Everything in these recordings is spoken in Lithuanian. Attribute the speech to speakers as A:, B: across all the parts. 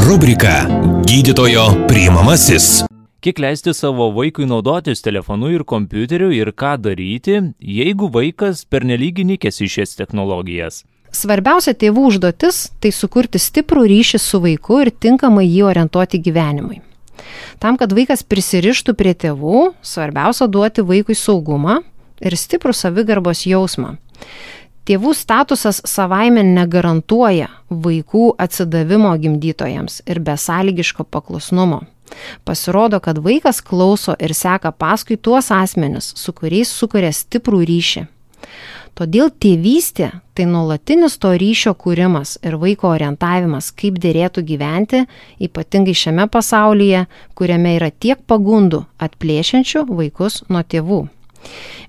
A: Rubrika Gydytojo priimamasis.
B: Kiek leisti savo vaikui naudotis telefonu ir kompiuteriu ir ką daryti, jeigu vaikas pernelyg įnikęs į šias technologijas?
C: Svarbiausia tėvų užduotis – tai sukurti stiprų ryšį su vaiku ir tinkamai jį orientuoti gyvenimui. Tam, kad vaikas prisirištų prie tėvų, svarbiausia duoti vaikui saugumą ir stiprų savigarbos jausmą. Tėvų statusas savaime negarantuoja vaikų atsidavimo gimdytojams ir besąlygiško paklusnumo. Pasirodo, kad vaikas klauso ir seka paskui tuos asmenis, su kuriais sukuria stiprų ryšį. Todėl tėvystė – tai nuolatinis to ryšio kūrimas ir vaiko orientavimas, kaip dėrėtų gyventi, ypatingai šiame pasaulyje, kuriame yra tiek pagundų atplėšiančių vaikus nuo tėvų.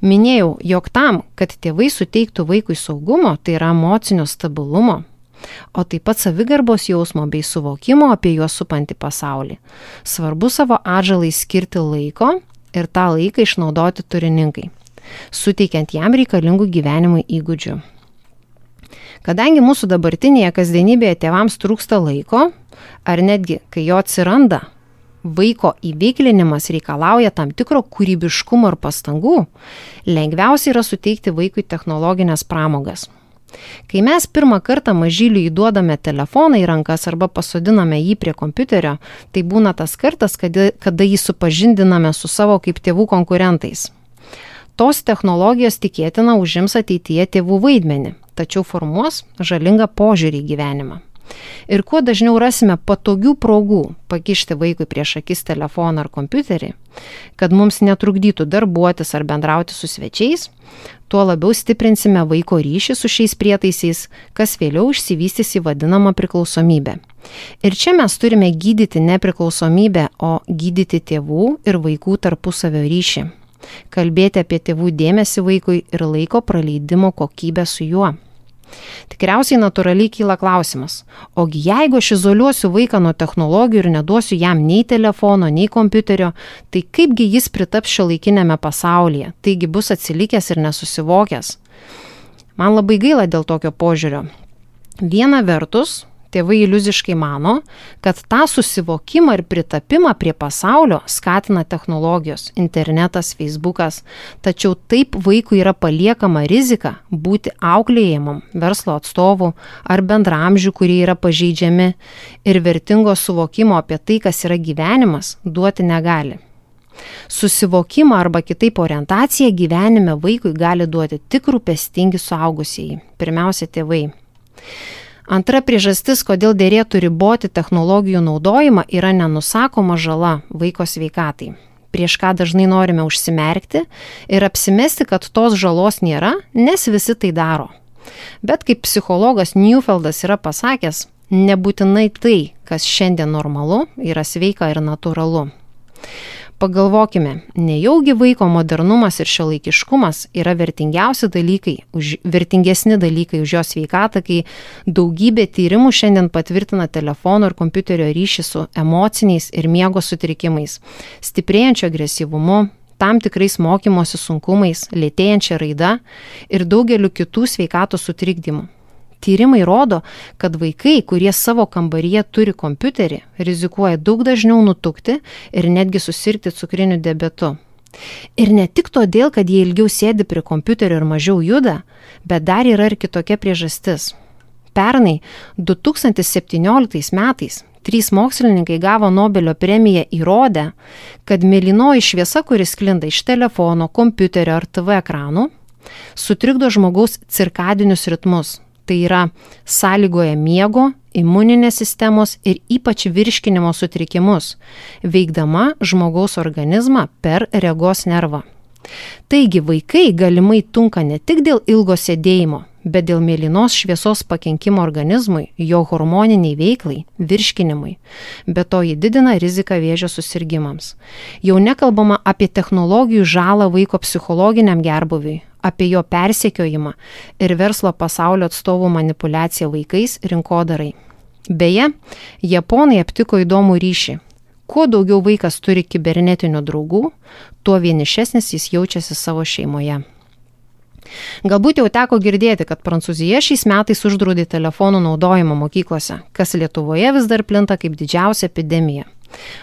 C: Minėjau, jog tam, kad tėvai suteiktų vaikui saugumo, tai yra emocinio stabilumo, o taip pat savigarbos jausmo bei suvokimo apie juos supantį pasaulį. Svarbu savo atžalai skirti laiko ir tą laiką išnaudoti turiningai, suteikiant jam reikalingų gyvenimui įgūdžių. Kadangi mūsų dabartinėje kasdienybėje tėvams trūksta laiko, ar netgi, kai jo atsiranda, vaiko įveiklinimas reikalauja tam tikro kūrybiškumo ir pastangų, lengviausia yra suteikti vaikui technologinės pramogas. Kai mes pirmą kartą mažyliui įduodame telefoną į rankas arba pasodiname jį prie kompiuterio, tai būna tas kartas, kada jį supažindiname su savo kaip tėvų konkurentais. Tos technologijos tikėtina užims ateityje tėvų vaidmenį, tačiau formuos žalingą požiūrį į gyvenimą. Ir kuo dažniau rasime patogių progų pakišti vaikui prieš akis telefoną ar kompiuterį, kad mums netrukdytų darbuotis ar bendrauti su svečiais, tuo labiau stiprinsime vaiko ryšį su šiais prietaisiais, kas vėliau išsivystys į vadinamą priklausomybę. Ir čia mes turime gydyti ne priklausomybę, o gydyti tėvų ir vaikų tarpusavio ryšį. Kalbėti apie tėvų dėmesį vaikui ir laiko praleidimo kokybę su juo. Tikriausiai natūraliai kyla klausimas, ogi jeigu aš izoliuosiu vaiką nuo technologijų ir neduosiu jam nei telefono, nei kompiuterio, tai kaipgi jis pritaps šiuolaikiniame pasaulyje, taigi bus atsilikęs ir nesusivokęs. Man labai gaila dėl tokio požiūrio. Viena vertus, tėvai iliuziškai mano, kad tą susivokimą ir pritapimą prie pasaulio skatina technologijos, internetas, Facebookas, tačiau taip vaikui yra paliekama rizika būti auklėjamam verslo atstovų ar bendraamžių, kurie yra pažeidžiami ir vertingo suvokimo apie tai, kas yra gyvenimas, duoti negali. Susivokimą arba kitaip orientaciją gyvenime vaikui gali duoti tik rūpestingi suaugusieji, pirmiausia tėvai. Antra priežastis, kodėl dėrėtų riboti technologijų naudojimą, yra nenusakoma žala vaiko sveikatai, prieš ką dažnai norime užsimerkti ir apsimesti, kad tos žalos nėra, nes visi tai daro. Bet kaip psichologas Newfeldas yra pasakęs, nebūtinai tai, kas šiandien normalu, yra sveika ir natūralu. Pagalvokime, nejaugi vaiko modernumas ir šiuolaikiškumas yra vertingesni dalykai už jo sveikatą, kai daugybė tyrimų šiandien patvirtina telefono ir kompiuterio ryšį su emociniais ir miego sutrikimais, stiprėjančiu agresyvumu, tam tikrais mokymosi sunkumais, lėtėjančia raida ir daugeliu kitų sveikatos sutrikdymų. Tyrimai rodo, kad vaikai, kurie savo kambaryje turi kompiuterį, rizikuoja daug dažniau nutukti ir netgi susirgti cukriniu diabetu. Ir ne tik todėl, kad jie ilgiau sėdi prie kompiuterio ir mažiau juda, bet dar yra ir kitokia priežastis. Pernai 2017 metais 3 mokslininkai gavo Nobelio premiją įrodę, kad mėlynoji šviesa, kuris sklinda iš telefono, kompiuterio ar TV ekranų, sutrikdo žmogaus cirkadinius ritmus. Tai yra sąlygoja miego, imuninės sistemos ir ypač virškinimo sutrikimus, veikdama žmogaus organizmą per regos nervą. Taigi vaikai galimai tunka ne tik dėl ilgo sėdėjimo, bet dėl mėlynos šviesos pakenkimo organizmui, jo hormoniniai veiklai, virškinimui. Be to ji didina riziką vėžio susirgimams. Jau nekalbama apie technologijų žalą vaiko psichologiniam gerbūviui, apie jo persekiojimą ir verslo pasaulio atstovų manipuliaciją vaikais rinkodarai. Beje, japonai aptiko įdomų ryšį. Kuo daugiau vaikas turi kibernetinių draugų, tuo vienišesnis jis jaučiasi savo šeimoje. Galbūt jau teko girdėti, kad Prancūzija šiais metais uždraudė telefonų naudojimą mokyklose, kas Lietuvoje vis dar plinta kaip didžiausia epidemija.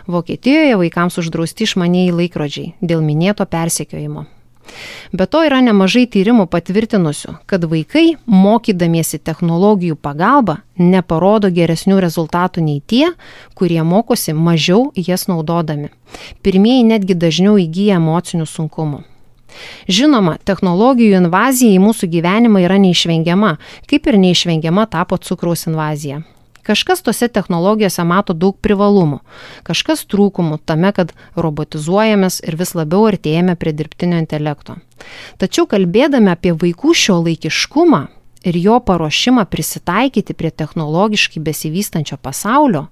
C: Vokietijoje vaikams uždrausti išmanieji laikrodžiai dėl minėto persekiojimo. Be to yra nemažai tyrimų patvirtinusių, kad vaikai, mokydamiesi technologijų pagalba, neparodo geresnių rezultatų nei tie, kurie mokosi mažiau jas naudodami. Pirmieji netgi dažniau įgyja emocinių sunkumų. Žinoma, technologijų invazija į mūsų gyvenimą yra neišvengiama, kaip ir neišvengiama tapo cukraus invazija. Kažkas tose technologijose mato daug privalumų, kažkas trūkumų tame, kad robotizuojamės ir vis labiau artėjame prie dirbtinio intelekto. Tačiau kalbėdami apie vaikų šiuolaikiškumą ir jo paruošimą prisitaikyti prie technologiškai besivystančio pasaulio,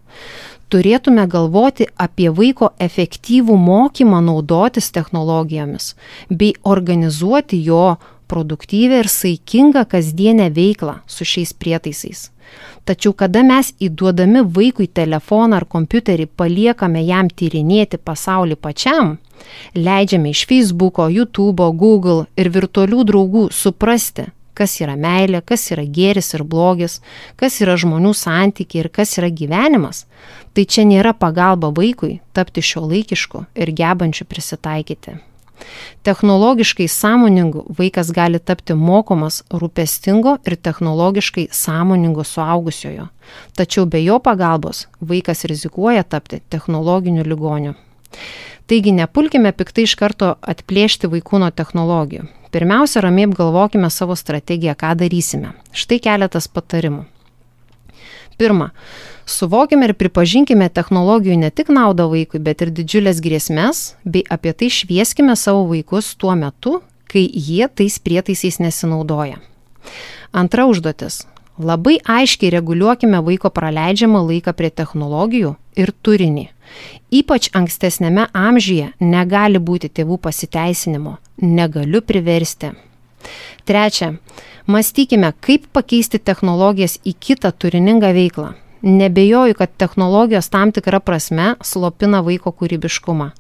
C: turėtume galvoti apie vaiko efektyvų mokymą naudotis technologijomis bei organizuoti jo produktyvią ir saikingą kasdienę veiklą su šiais prietaisais. Tačiau kada mes įduodami vaikui telefoną ar kompiuterį paliekame jam tyrinėti pasaulį pačiam, leidžiame iš Facebooko, YouTube'o, Google ir virtualių draugų suprasti, kas yra meilė, kas yra gėris ir blogis, kas yra žmonių santykiai ir kas yra gyvenimas, tai čia nėra pagalba vaikui tapti šiuolaikišku ir gebančiu prisitaikyti. Technologiškai sąmoningu vaikas gali tapti mokomas rūpestingo ir technologiškai sąmoningo suaugusiojo. Tačiau be jo pagalbos vaikas rizikuoja tapti technologiniu ligoniu. Taigi nepulkime piktai iš karto atplėšti vaikų nuo technologijų. Pirmiausia, ramiai apgalvokime savo strategiją, ką darysime. Štai keletas patarimų. Pirma, suvokime ir pripažinkime technologijų ne tik naudą vaikui, bet ir didžiulės grėsmes, bei apie tai švieskime savo vaikus tuo metu, kai jie tais prietaisais nesinaudoja. Antra užduotis. Labai aiškiai reguliuokime vaiko praleidžiamą laiką prie technologijų ir turinį. Ypač ankstesnėme amžiuje negali būti tėvų pasiteisinimo. Negaliu priversti. Trečia. Mąstykime, kaip pakeisti technologijas į kitą turiningą veiklą. Nebejoju, kad technologijos tam tikra prasme slopina vaiko kūrybiškumą.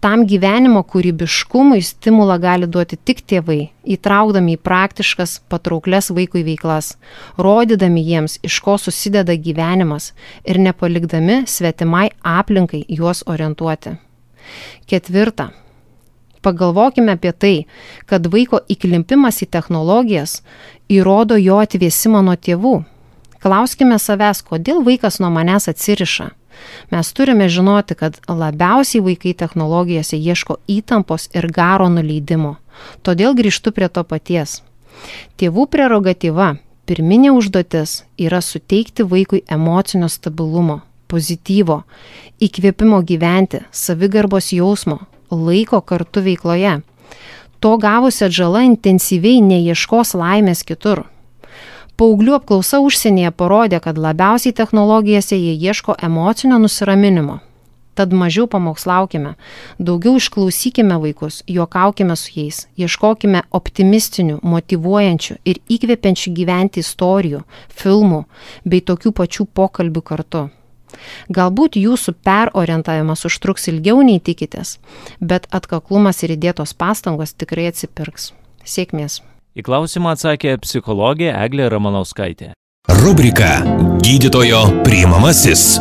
C: Tam gyvenimo kūrybiškumui stimulą gali duoti tik tėvai, įtraukdami į praktiškas, patrauklias vaikui veiklas, rodydami jiems, iš ko susideda gyvenimas ir nepalikdami svetimai aplinkai juos orientuoti. Ketvirta. Pagalvokime apie tai, kad vaiko įklimpimas į technologijas įrodo jo atvėsimą nuo tėvų. Klauskime savęs, kodėl vaikas nuo manęs atsiriša. Mes turime žinoti, kad labiausiai vaikai technologijose ieško įtampos ir garo nuleidimo. Todėl grįžtu prie to paties. Tėvų prerogatyva, pirminė užduotis yra suteikti vaikui emocinio stabilumo, pozityvo, įkvėpimo gyventi, savigarbos jausmo, laiko kartu veikloje. To gavusi atžala intensyviai neieškos laimės kitur. Paauglių apklausa užsienyje parodė, kad labiausiai technologijose jie ieško emocinio nusiraminimo. Tad mažiau pamokslaukime, daugiau išklausykime vaikus, juokaukime su jais, ieškokime optimistinių, motyvuojančių ir įkvepiančių gyventi istorijų, filmų bei tokių pačių pokalbių kartu. Galbūt jūsų perorientavimas užtruks ilgiau nei tikitės, bet atkaklumas ir įdėtos pastangos tikrai atsipirks. Sėkmės.
B: Į klausimą atsakė psichologė Eglė Ramanauskaitė.
A: Rubrika Gydytojo priimamasis.